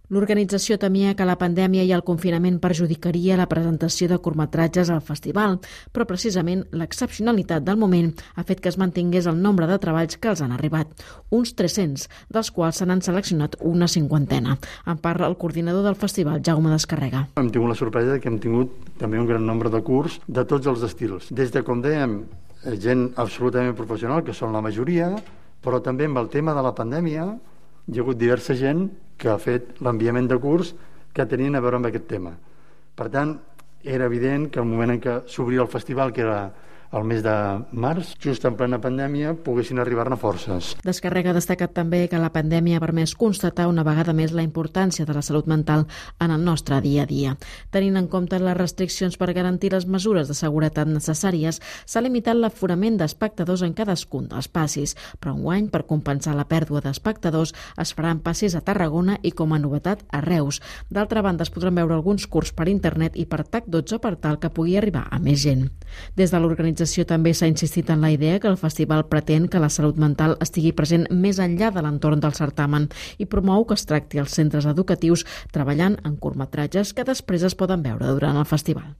L'organització temia que la pandèmia i el confinament perjudicaria la presentació de curtmetratges al festival, però precisament l'excepcionalitat del moment ha fet que es mantingués el nombre de treballs que els han arribat, uns 300, dels quals se n'han seleccionat una 50. En parla el coordinador del festival, Jaume Descarrega. Hem tingut la sorpresa que hem tingut també un gran nombre de curts de tots els estils. Des de, com dèiem, gent absolutament professional, que són la majoria, però també amb el tema de la pandèmia hi ha hagut diversa gent que ha fet l'enviament de curs que tenien a veure amb aquest tema. Per tant, era evident que el moment en què s'obria el festival, que era el mes de març, just en plena pandèmia, poguessin arribar-ne forces. Descarrega ha destacat també que la pandèmia ha permès constatar una vegada més la importància de la salut mental en el nostre dia a dia. Tenint en compte les restriccions per garantir les mesures de seguretat necessàries, s'ha limitat l'aforament d'espectadors en cadascun dels passis, però enguany, per compensar la pèrdua d'espectadors, es faran passis a Tarragona i, com a novetat, a Reus. D'altra banda, es podran veure alguns curts per internet i per TAC12 per tal que pugui arribar a més gent. Des de l'organització també s'ha insistit en la idea que el festival pretén que la salut mental estigui present més enllà de l'entorn del certamen i promou que es tracti als centres educatius treballant en curtmetratges que després es poden veure durant el festival.